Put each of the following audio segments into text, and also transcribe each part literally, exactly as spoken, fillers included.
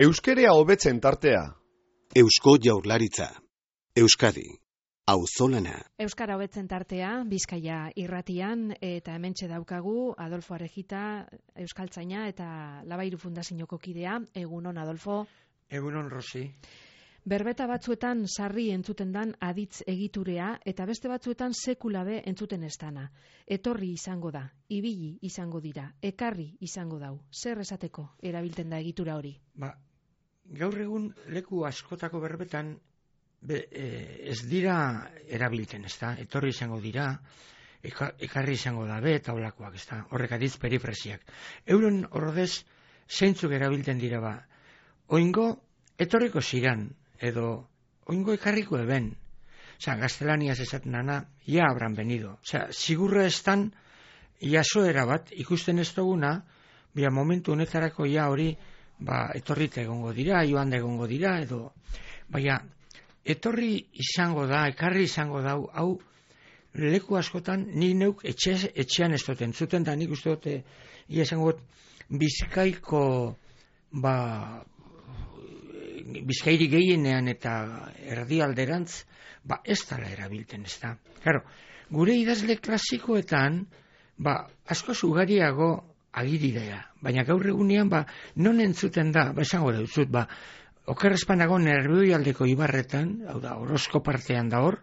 Euskerea hobetzen tartea. Eusko Jaurlaritza. Euskadi. Auzolana. Euskara hobetzen tartea, Bizkaia irratian, eta hementxe daukagu Adolfo Arejita, euskaltzaina eta Labairu Fundazioko kidea. Egunon, Adolfo. Egunon, Rosi. Berbeta batzuetan sarri entzuten dan aditz egiturea, eta beste batzuetan sekulabe entzuten ez dana. Etorri izango da, ibili izango dira, ekarri izango dau. Zer esateko erabilten da egitura hori? Ba, gaur egun leku askotako berbetan be, e, ez dira erabilten, ez da? Etorri izango dira, eka, ekarri izango da be, eta holakoak, ez da? Horrek aditz perifrasiak. Euren ordez zeintzuk erabilten dira ba. Oingo etorriko ziran, edo oingo ekarriko eben. Osa, gaztelaniaz esaten dana, ja habran venido. Osa, sigurra estan, jasoera bat, ikusten ez duguna, bia momentu honetarako ja hori, ba, etorrita egongo dira, joan da egongo dira, edo, baina, etorri izango da, ekarri izango da, hau, leku askotan, ni neuk etxe, etxean ez dut entzuten, da nik uste dute, ia esango Bizkaiko, ba, Bizkairi gehienean eta erdialderantz, ba, ez dala erabilten, ez da. Claro, gure idazle klasikoetan, ba, askoz ugariago agiri dira, baina gaur egunean, ba, non entzuten da, ba, esango dut, ba, okerrezpanago Nerbioi-aldeko ibarretan, hau da, Orozko partean da hor,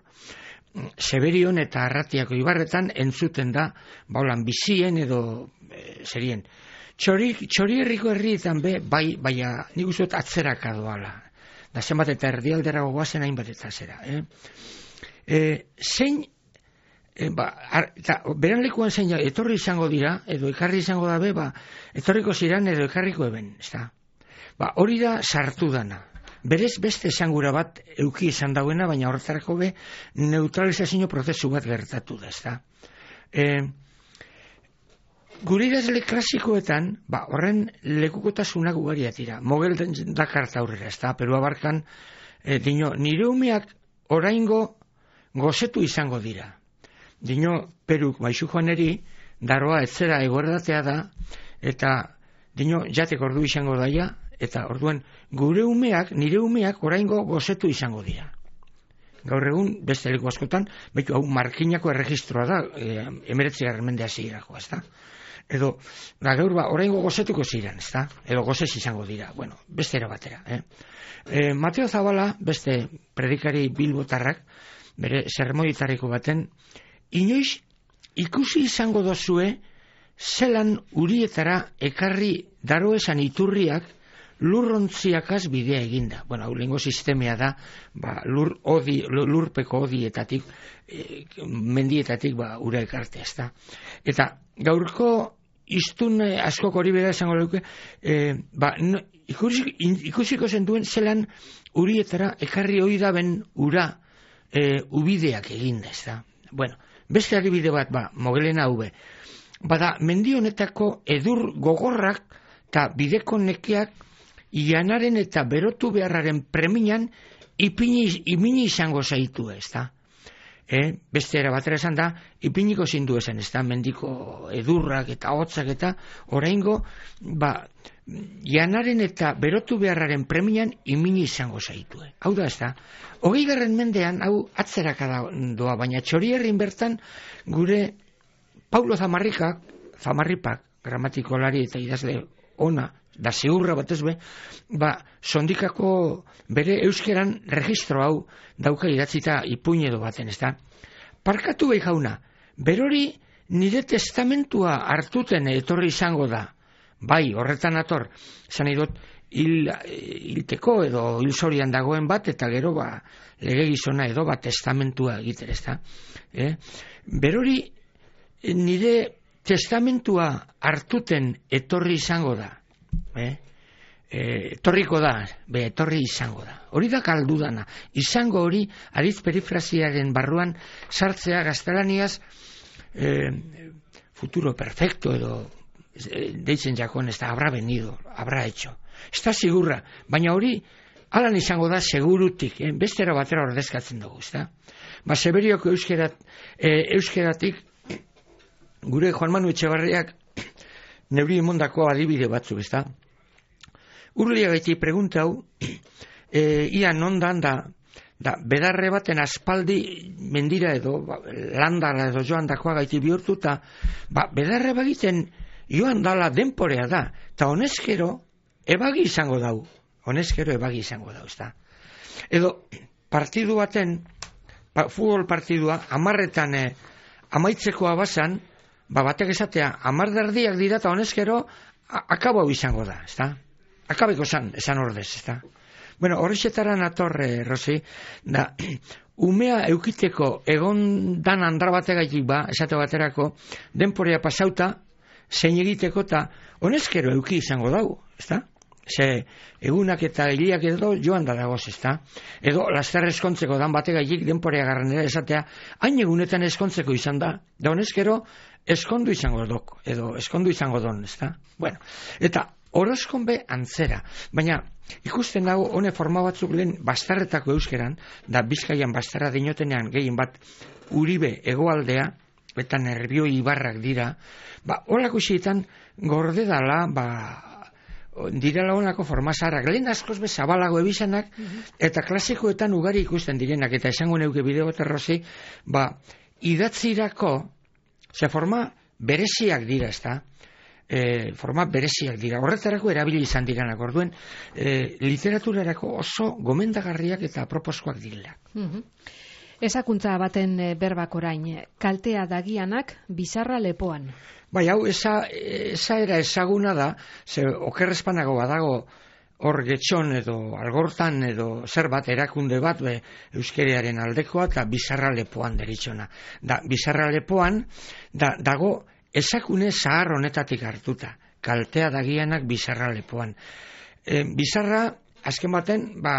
Seberion eta Arratiako ibarretan entzuten da, ba, holan, bizien edo e, zerien. Txori, txori herriko herrietan be, bai, baina nik uste dut atzeraka doala. Da zenbat eta erdialdera gogoazen hainbat eta zera. Eh? E, zein, e, ba, ar, eta, beran lekuan zein etorri izango dira, edo ekarri izango da be, ba, etorriko ziran edo ekarriko eben, ez da? Ba, hori da sartu dana. Berez beste esangura bat euki izan dauena, baina horretarako be neutralizazio prozesu bat gertatu da, ez da? E, Gure idazle klasikoetan, ba, horren lekukotasunak ugariak dira. Mogel dakarta aurrera, ez da, Perua barkan, e, dino, nire umeak oraingo gozetu izango dira. Dino, Peruk, baizu joaneri, daroa etzera egordatea da, eta, dino, jatek ordu izango daia, eta orduen, gure umeak, nire umeak oraingo gozetu izango dira. Gaur egun, beste leku askotan, behitu, hau, markinako erregistroa da, e, emeretzi garmendea zigirako, ez da? Edo, da gaur ba, oraingo gozetuko ziren, ez da? Edo gozez izango dira, bueno, beste era batera. Eh? E, Mateo Zabala, beste predikari bilbotarrak, bere sermoitarriko baten, inoiz ikusi izango dozue, zelan urietara ekarri daroesan iturriak lurrontziakaz bidea eginda. Bueno, hau lehengo sistemea da, ba, lur odi, lurpeko odietatik, e, mendietatik ba, ura ekartea, ez da? Eta gaurko iztun askok hori bera esango luke, e, ba, no, ikusiko, ikusiko zentuen zelan urietara ekarri hori da ben ura e, ubideak eginda, ez da? Bueno, beste adibide bat, ba, Mogelena hube. Bada, mendi honetako edur gogorrak eta bideko nekeak ianaren eta berotu beharraren preminan ipini, ipini izango zaitu, ez da? E, beste era batera esan da, ipiniko zindu esan, ez da, mendiko edurrak eta hotzak eta oraingo, ba, janaren eta berotu beharraren premian imini izango zaitue. Hau da, ez da, hogei garren mendean, hau atzeraka doa, baina Txorierrin bertan, gure Paulo Zamarrikak, Zamarripak, gramatikolari eta idazle ona, da zeurra batez be, ba, sondikako bere euskeran registro hau dauka idatzita ipuin edo baten, ez da? Parkatu behi jauna, berori nire testamentua hartuten etorri izango da, bai, horretan ator, zan idot, hil, hilteko edo hilzorian dagoen bat, eta gero, ba, lege gizona edo, ba, testamentua egiter, ez da? Eh? Berori nire testamentua hartuten etorri izango da, Eh? E, etorriko da, be, etorri izango da. Hori da kaldu dana. Izango hori, aditz perifrasiaren barruan sartzea gaztelaniaz e, futuro perfecto edo e, deitzen jakon, ez da, habrá venido, habrá hecho. Ez da sigurra, baina hori alan izango da segurutik, eh? Bestera batera ordezkatzen dugu, ez da? Ba, Seberioko euskerat, e, euskeratik gure Juan Manu Etxebarriak neuri emondako adibide batzuk, ez da? urlia gaiti pregunta hau, e, ia nondan da, da, bedarre baten aspaldi mendira edo, ba, landara edo joan dakoa gaiti bihurtu, eta ba, bedarre bagiten joan dala denporea da, eta honezkero ebagi izango dau, honezkero ebagi izango dau, ezta. Edo, partidu baten, pa, futbol partidua, amarretan eh, amaitzekoa bazan, ba, batek esatea, amar derdiak dira, eta honezkero akabo hau izango da, ezta. Akabeko zan, esan ordez, ezta. Bueno, horrexetara natorre, Rosi, da, umea eukiteko egon dan andra bategaitik ba, esate baterako, denporea pasauta, zein egiteko, eta honezkero euki izango dau, ezta? Ze, egunak eta hiliak edo joan da dagoz, ezta? Edo, laster eskontzeko dan bategaitik denporea garranera esatea, hain egunetan eskontzeko izan da, da honezkero eskondu izango dok, edo eskondu izango don, ezta? Bueno, eta horoskon be antzera, baina ikusten dago hone forma batzuk lehen bastarretako euskeran, da Bizkaian bastarra dinotenean gehien bat Uribe hegoaldea, eta Nerbioi ibarrak dira, ba, horako xietan gorde dala, ba, direla honako forma zaharrak, lehen askoz be zabalago ebizanak, eta klasikoetan ugari ikusten direnak, eta esango neuke bideo terrozi, ba, idatzirako, ze forma bereziak dira, ezta? E, forma bereziak dira, horretarako erabili izan diranak, orduen e, literaturarako oso gomendagarriak eta aproposkoak direla. Mhm. Ezakuntza baten berbak orain, kaltea dagianak bizarra lepoan. Bai, hau, esa, esa era ezaguna da, ze okerrezpanago badago hor getxon edo algortan edo zer bat erakunde bat be, euskerearen aldekoa eta bizarra lepoan deritxona. Da, bizarra lepoan da, dago ezakune zahar honetatik hartuta, kaltea dagianak bizarra lepoan. E, bizarra, azken baten, ba,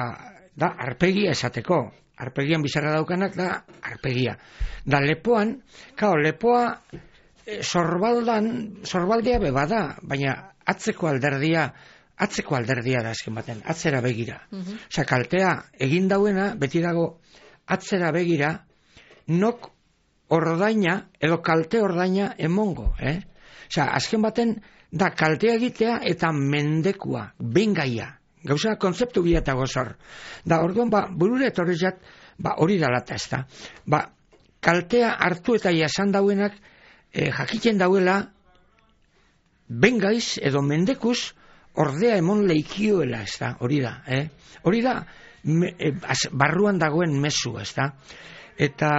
da arpegia esateko. Arpegian bizarra daukanak da arpegia. Da lepoan, kao, lepoa e, sorbaldan, sorbaldea be bada, baina atzeko alderdia, atzeko alderdia da azken baten, atzera begira. Uh-huh. Osa, kaltea egin dauena, beti dago atzera begira, nok ordaina, edo kalte ordaina emongo, eh? Osa, azken baten, da kaltea egitea eta mendekua, bengaia. Gauza, kontzeptu bilata gozor. Da, orduan, ba, burure etorrezat, ba, hori dalata ez da. Ba, kaltea hartu eta jasan dauenak, eh, jakiten dauela, bengaiz edo mendekuz, ordea emon leikioela, ez da, hori da, eh? Hori da, me, e, az, barruan dagoen mezu, ez da. Eta,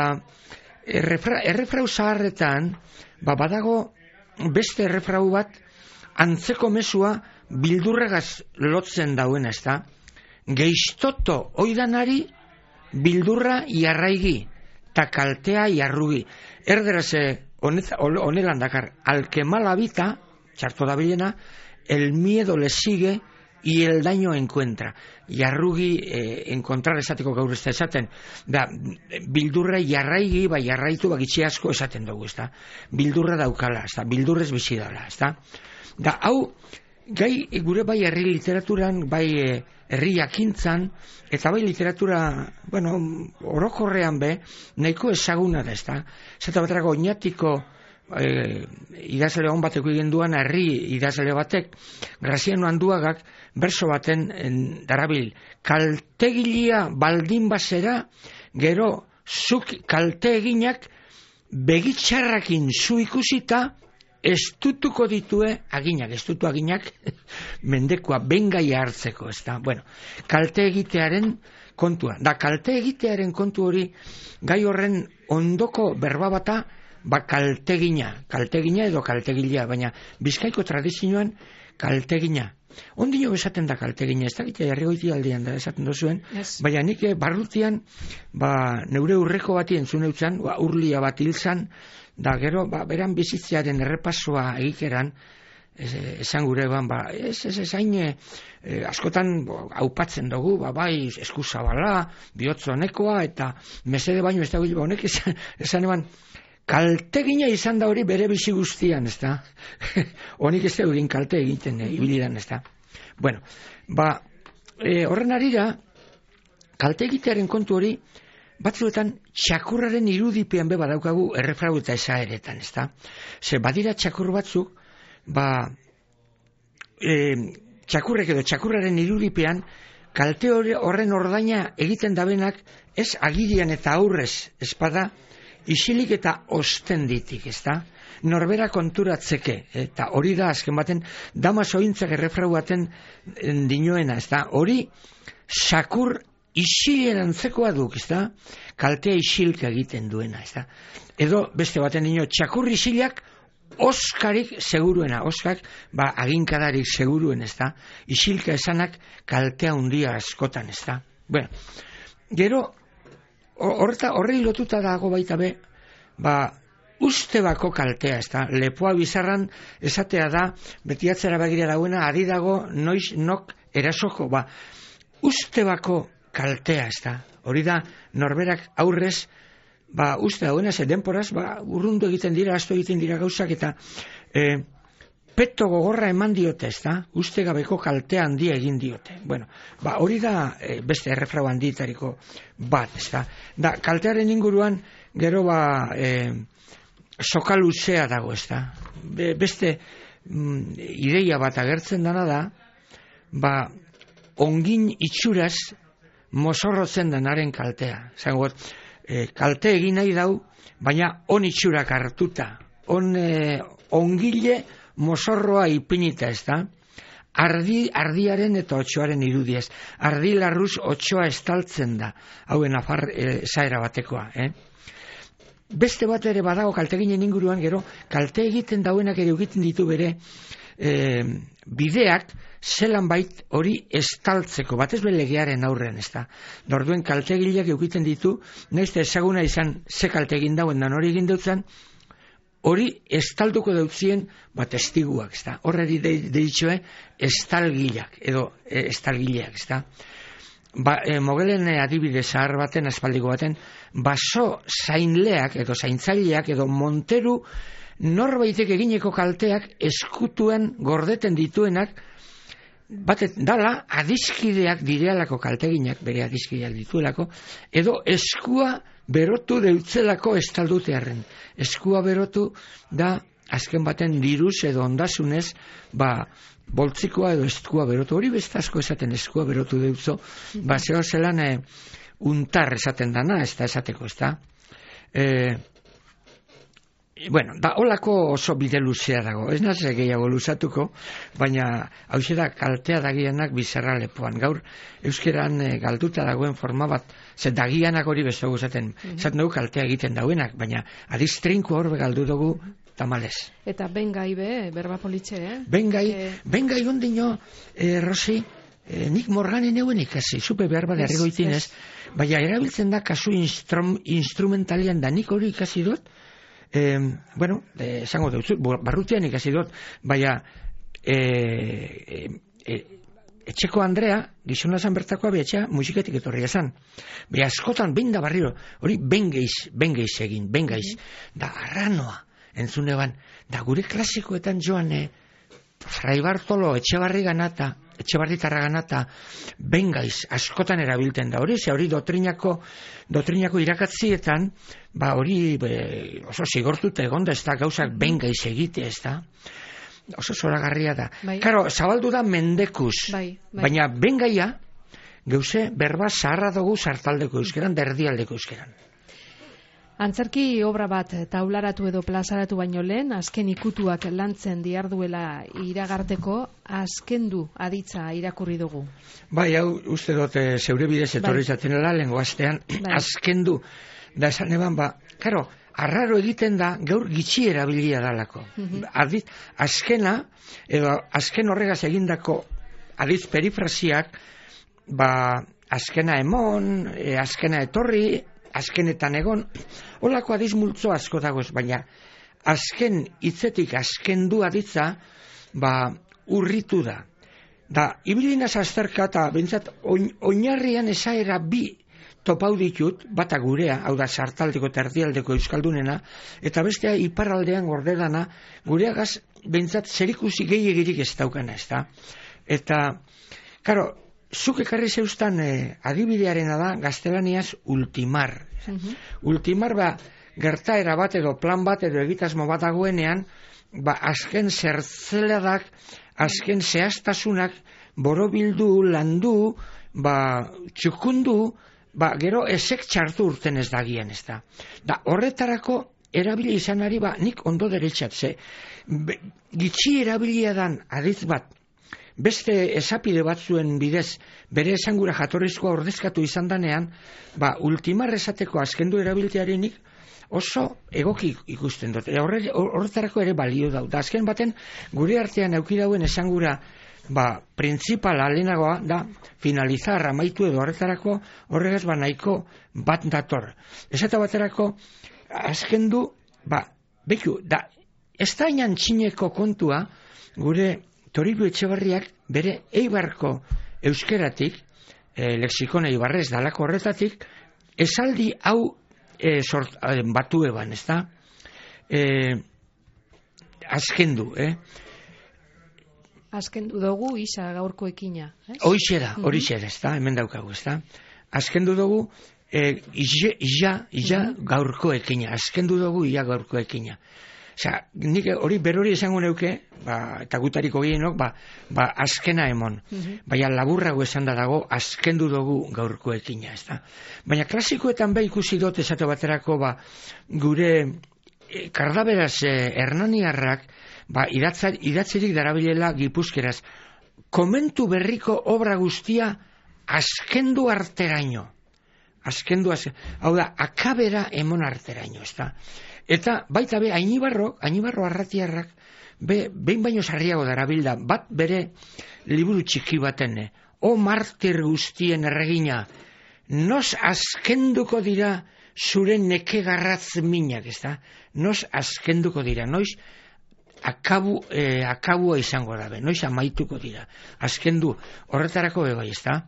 errefra, errefrau zaharretan, ba, badago beste errefrau bat, antzeko mezua bildurregaz lotzen dauena, ez da. Geiztoto oidanari bildurra jarraigi, ta kaltea jarrugi. Erderaz, honelan dakar, al que mal habita, txarto da bilena, el miedo le sigue y el daño encuentra. Jarrugi eh, encontrar esateko gaur ez da esaten. Da, bildurra jarraigi, ba jarraitu, ba gitxe asko esaten dugu, ez da. Bildurra daukala, ez da, bildurrez bizi dala, ez da. Da, hau, gai gure bai herri literaturan, bai herri jakintzan, eta bai literatura, bueno, orokorrean be, nahiko ezaguna da, ez da. Zeta baterako oinatiko e, idazle hon bateko egin duan herri idazle batek, Graziano Anduagak, berso baten en, darabil, kaltegilia baldin bazera, gero zuk kalte eginak begitxarrakin zu ikusita, estutuko ditue aginak, estutu aginak mendekua bengaia hartzeko, ez da. Bueno, kalte egitearen kontua. Da, kalte egitearen kontu hori, gai horren ondoko berba bata, ba kaltegina, kaltegina edo kaltegila, baina Bizkaiko tradizioan kaltegina. Ondino esaten da kaltegina, ez da gita jarrigoiti aldean da esaten dozuen, yes. Baina nik barrutian, ba, neure urreko bati entzun eutzan, ba, urlia bat hilzan, da gero, ba, beran bizitzearen errepasoa egikeran, esan gure ban, ba, ez, ez, ez, hain, e, askotan aupatzen dugu, ba, bai, eskuzabala, bihotzonekoa, eta mesede baino ez da gure, ba, honek esan, esan eban, kaltegina izan da hori bere bizi guztian, ez da? Honik ez da egin kalte egiten, e, ibilidan, ez da? Bueno, ba, e, horren arira, kalte egitearen kontu hori, batzuetan txakurraren irudipean be badaukagu errefrau eta esaeretan, ezta? Ze badira txakur batzuk, ba, e, txakurrek edo txakurraren irudipean, kalte horren ordaina egiten dabenak, ez agirian eta aurrez espada, isilik eta ostenditik, ez da? Norbera konturatzeke, eta hori da azken baten, dama sointzak errefrau baten dinoena, ez da? Hori, sakur isilen antzekoa duk, ez da? Kaltea isilka egiten duena, ez da? Edo, beste baten dino, txakur isilak oskarik seguruena, oskak, ba, aginkadarik seguruen, ez da? Isilka esanak kaltea hundia askotan, ez da? Bueno, gero, horrei lotuta dago baita be, ba, ustebako kaltea, ez da, lepoa bizarran esatea da, beti atzera begira dauena, ari dago noiz nok erasoko, ba, ustebako kaltea, ez da, hori da, norberak aurrez, ba, uste dauena, ze denporaz, ba, urrundu egiten dira, asto egiten dira gauzak, eta e, peto gogorra eman diote, ez da, uste gabeko kaltea handia egin diote. Bueno, ba, hori da e, beste errefrau handitariko bat, ez da, da, kaltearen inguruan, gero ba, e, soka luzea dago, ez da. Be, beste mm, ideia bat agertzen dana da, ba, ongin itxuraz mozorrotzen denaren kaltea. Zango, e, kalte egin nahi dau, baina on itxurak hartuta. On, e, ongile mozorroa ipinita, ez da. Ardi, ardiaren eta otxoaren irudiez. Ardi larruz otxoa estaltzen da. Hauen afar e, zaera batekoa, eh? Beste bat ere badago kalteginen inguruan, gero kalte egiten dauenak ere egiten ditu bere e, bideak zelan bait hori estaltzeko, batez be legearen aurren, ez da. Orduen kaltegileak egiten ditu, naizte ezaguna izan ze kalte egin dauen dan hori egin dutzen, hori estalduko dautzien bat estiguak, ez da. Horreri deitxoe estalgileak, edo e, estalgileak, ez da. Ba, e, mogelen adibide zahar baten, aspaldiko baten, baso zainleak edo zaintzaileak edo monteru norbaitek egineko kalteak eskutuen gordeten dituenak, batet dala adiskideak direalako kalteginak, bere adiskideak dituelako, edo eskua berotu deutzelako estaldutearen. Eskua berotu da azken baten diruz edo ondasunez, ba, boltzikoa edo eskua berotu, hori beste asko esaten eskua berotu deutzo, ba, zeo zelan e, untar esaten dana, ez da esateko, ez da. E, bueno, da, holako oso bide luzea dago, ez naze gehiago luzatuko, baina hau da kaltea dagienak bizarra lepoan. Gaur, euskeran e, galduta dagoen forma bat, ze dagianak hori besto guzaten, mm-hmm. Zaten dugu kaltea egiten dauenak, baina adistrinko horbe galdu dugu, tamales. Eta bengai be, berba politxe, eh? Bengai, e... bengai ondino, eh, Rosi, eh, nik morganen euen ikasi, supe behar bada erregoitinez, baina erabiltzen da kasu instrum, instrumentalian da nik hori ikasi dut, eh, bueno, eh, esango dut, barrutian ikasi dut, baina eh, eh, eh, etxeko Andrea, gizona zan bertakoa behatxa, musiketik etorri esan. Be askotan, behin da barriro, hori bengeiz, bengeiz egin, bengeiz, da arranoa. Entzune ban, da gure klasikoetan joan e, Fray Bartolo Etxebarri ganata, Etxebarri tarra ganata, bengaiz askotan erabilten da hori, ze hori doktrinako, doktrinako irakatzietan, ba hori be, oso zigortuta egonda, ez da gauzak bengaiz egite, ez da, oso zoragarria da. Bai. Karo, zabaldu da mendekuz, bai, bai. Baina bengaia, gauze berba zaharra dugu sartaldeko euskeran, derdialdeko euskeran. Antzerki obra bat taularatu edo plazaratu baino lehen, azken ikutuak lantzen diarduela iragarteko, azkendu aditza irakurri dugu. Bai, hau uste dut zeure bidez etorri zatenela, bai. Lengo astean, bai. Azkendu, da esan eban, ba, karo, arraro egiten da, gaur gitxi erabilia dalako. Mm-hmm. Adit, azkena, edo azken horregaz egindako aditz perifrasiak, ba, azkena emon, e, azkena etorri, azkenetan egon, holako adiz multzo asko dagoz, baina azken hitzetik azken du aditza, ba, urritu da. Da, ibilinaz azterka eta bentsat, oinarrian esaera bi topau ditut, bata gurea, hau da sartaldeko eta erdialdeko euskaldunena, eta bestea iparraldean gordedana, gureagaz bentsat zerikusi gehiagirik ez daukana, ez da. Eta, karo, zuk ekarri zeustan eh, adibidearena da gaztelaniaz ultimar. Uh-huh. Ultimar ba gertaera bat edo plan bat edo egitasmo bat dagoenean, ba azken zertzeladak, azken zehaztasunak borobildu, landu, ba, txukundu, ba, gero ezek txartu urten ez dagien, ez da. Da, horretarako erabili izanari, ba, nik ondo deretzat, ze, be, gitxi erabilia dan aditz bat, beste esapide batzuen bidez, bere esangura jatorrizkoa ordezkatu izan danean, ba, ultimar esateko azkendu erabiltearenik oso egoki ikusten dut. Horretarako ere balio dau. Da, azken baten, gure artean euki dauen esangura, ba, printzipala lehenagoa da, finalizar, amaitu edo horretarako, horregaz ba nahiko bat dator. Esata baterako, azkendu, ba, beku, da, ez da inan txineko kontua, gure Toribio Etxebarriak bere eibarko euskeratik, e, lexikon eibarrez dalako horretatik, esaldi hau e, sort, e, batu eban, ez da? E, azkendu, eh? Azkendu dugu isa gaurko ekina. Hoixe da, horixe da, ez da? Hemen daukagu, ez da? Azkendu dugu, e, ija, ija, ija gaurko ekina. Azkendu dugu ia gaurko ekina. Osea, nik hori berori esango neuke, ba, eta gutariko gehienok, ba, ba, azkena emon. Uh-huh. Baina laburrago esan da dago, azkendu dugu gaurko ekina, ez da. Baina klasikoetan be ikusi dut esate baterako, ba, gure e, kardaberaz e, hernaniarrak, ba, idatza, idatzerik darabilela gipuzkeraz, komentu berriko obra guztia azkendu arteraino. Azkendu, azkendu, hau da, akabera emon arteraino, ez da. Eta baita be, Ainibarro, Ainibarro arratiarrak, be, behin baino sarriago darabilda, bat bere liburu txiki baten, o martir guztien erregina, nos azkenduko dira zure neke garratz minak, ez da? Nos azkenduko dira, noiz akabu, eh, akabua izango dabe, noiz amaituko dira, azkendu, horretarako bebai, ez da?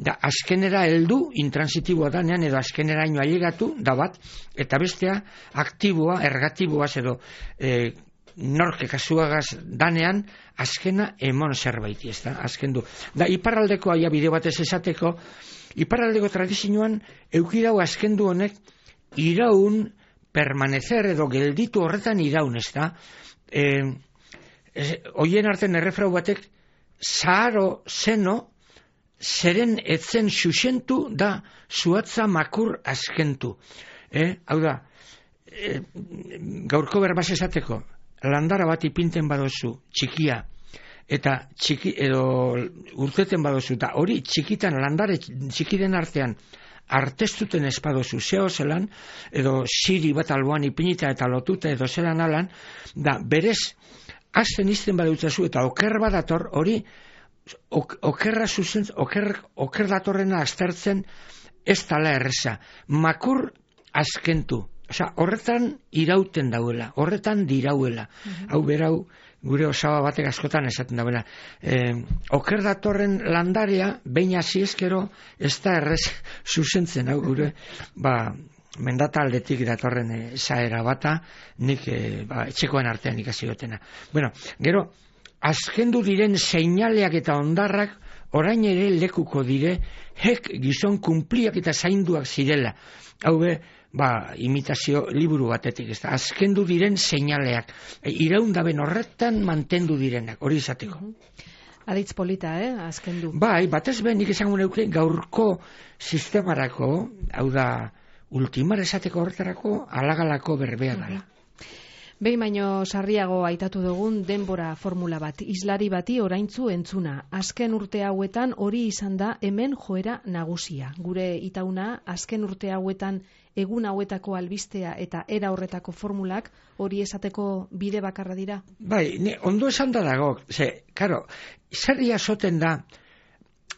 Da, azkenera heldu, intransitiboa danean, edo azkeneraino ailegatu, da bat, eta bestea, aktiboa, ergatiboaz, edo e, norke kasuagaz danean, azkena emon zerbaiti, ez da, azkendu. Da, iparraldeko aia bide batez esateko, iparraldeko tradizioan, eukidau azkendu honek, iraun, permanecer, edo gelditu horretan iraun, ez da. E, e, oien arten errefrau batek, zaharo zeno, zeren etzen xuxentu da zuatza makur azkentu. Eh? Hau da, e, gaurko berbaz esateko, landara bat ipinten badozu, txikia, eta txiki, edo urteten badozu, eta hori txikitan, landare txikiden artean, artestuten espadozu, zeo zelan, edo siri bat alboan ipinita eta lotuta edo zelan alan, da berez, azten izten badutzazu, eta oker badator, hori, okerra zuzen, oker, oker datorrena aztertzen ez tala erreza. Makur azkentu. Osea, horretan irauten dauela, horretan dirauela. Uh-huh. Hau berau, gure osaba batek askotan esaten dauela. Eh, oker datorren landarea, behin hasi ezkero, ez da errez zuzentzen, hau gure, ba, mendata aldetik datorren e, zaera bata, nik e, ba, etxekoen artean ikasi gotena. Bueno, gero, azkendu diren seinaleak eta ondarrak orain ere lekuko dire, hek gizon kumpliak eta zainduak zirela. Hau be, ba, imitazio liburu batetik, ez da, azkendu diren seinaleak, e, iraundaben horretan mantendu direnak, hori izateko. Aditz polita, eh, azkendu. Bai, batez ben, nik esango neuke gaurko sistemarako, hau da, ultimar esateko horretarako, alagalako berbea dela. Behin baino sarriago aitatu dugun denbora formula bat, islari bati oraintzu entzuna. Azken urte hauetan hori izan da hemen joera nagusia. Gure itauna, azken urte hauetan egun hauetako albistea eta era horretako formulak hori esateko bide bakarra dira? Bai, ne, ondo esan da dago, ze, karo, zerria soten da,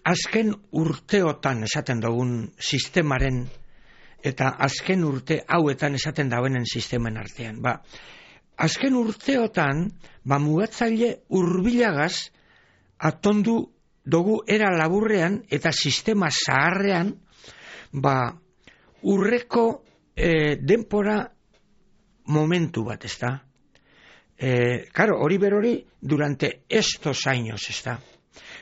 azken urteotan esaten dugun sistemaren, eta azken urte hauetan esaten dauenen sistemen artean, ba, azken urteotan, ba, mugatzaile hurbilagaz atondu dugu era laburrean eta sistema zaharrean, ba, urreko e, denpora momentu bat, ez da? E, karo, hori berori durante estos años, ez da?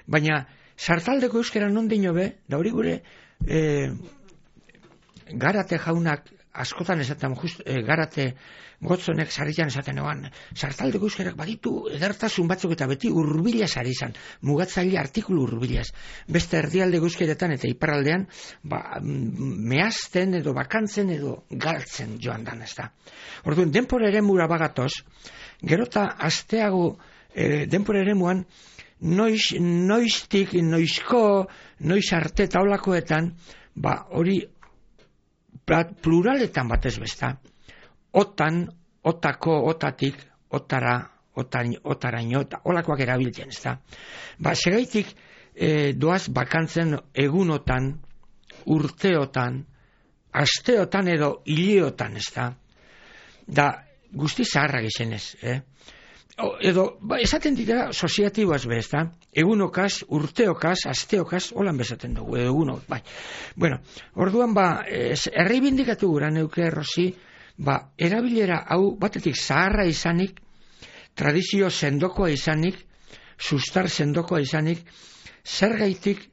Baina, sartaldeko euskera non dino be, da hori gure e, Garate jaunak askotan esaten, just, e, garate gotzonek sarritan esaten egon, sartaldeko euskerak baditu edertasun batzuk eta beti hurbilaz ari izan, mugatzaile artikulu hurbilaz. Beste erdialdeko euskeretan eta iparraldean, ba, mehazten edo bakantzen edo galtzen joan dan, ez da. Orduan, denpora ere mura bagatoz, gerota asteago e, denpora ere muan, noiz, noiztik, noizko, noiz arte taulakoetan, ba, hori pluraletan batez besta, otan, otako, otatik, otara, otain, otaraino, olakoak erabiltzen, ez da. Ba, segaitik e, doaz bakantzen egunotan, urteotan, asteotan edo hiliotan, ez da. Da, guzti zaharrak izenez, eh? O, edo, ba, esaten dira soziatiboaz be, ez da. Egunokaz, urteokaz, asteokaz, holan bezaten dugu, edo egunok, bai. Bueno, orduan, ba, erreibindikatu gura neuke, Rosi, ba, erabilera hau batetik zaharra izanik, tradizio sendokoa izanik, sustar sendokoa izanik, zer gaitik,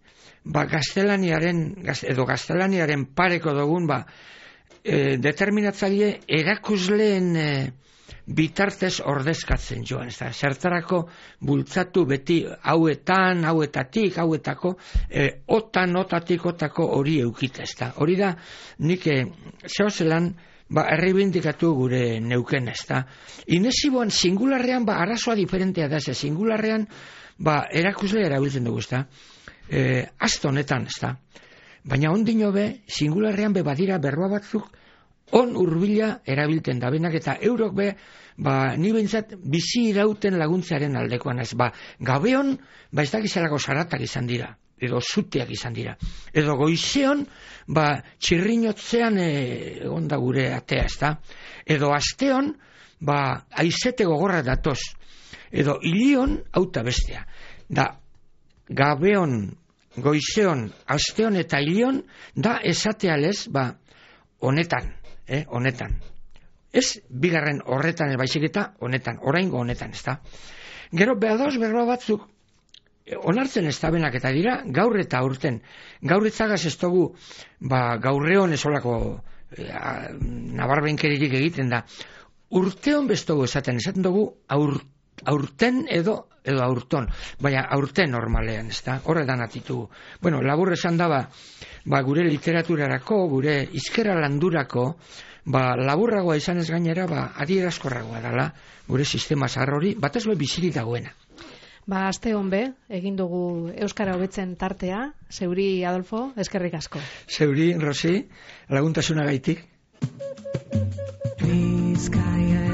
ba, gaztelaniaren, gaz, edo gaztelaniaren pareko dugun, ba, e, determinatzaile erakusleen e, bitartez ordezkatzen joan, ez da, zertarako bultzatu beti hauetan, hauetatik, hauetako, e, otan, otatik, otako hori eukita, ez da. Hori da, nik e, zehozelan, ba, erreibindikatu gure neuken, ez da. Inesiboan, singularrean, ba, arazoa diferentea da, ze singularrean, ba, erakusle erabiltzen dugu, ez da. E, Azto honetan, ez da. Baina ondino be, singularrean be badira berroa batzuk, on urbila erabiltzen da, benak eta eurok be, ba, ni behintzat bizi irauten laguntzearen aldekoan ez, ba, gabeon, ba, ez dakizalako zaratak izan dira, edo zuteak izan dira, edo goizeon, ba, txirrinotzean egon da gure atea, ez da, edo asteon, ba, aizete gogorra datoz, edo ilion, auta bestea, da, gabeon, goizeon, asteon eta ilion, da, esatealez, ba, honetan, eh, honetan. Ez bigarren horretan baizik eta honetan, oraingo honetan, ez da. Gero behadoz berba batzuk onartzen ez da benak eta dira gaur eta aurten. Gaur itzagaz ez dugu, ba, gaurreon esolako e, nabarbenkeririk egiten da. Urteon bestogu esaten, esaten dugu aur, aurten edo edo aurton, baina aurten normalean, ez da, horretan atitugu. Bueno, labur esan daba, ba, gure literaturarako, gure izkera landurako, ba, laburragoa izan ez gainera, ba, adierazkorragoa dela, gure sistema zahar hori, batez be bizirik dagoena. Ba, aste honbe, egin dugu Euskara hobetzen tartea, zeuri Adolfo, eskerrik asko. Zeuri, Rosi, laguntasuna gaitik. Bizkaia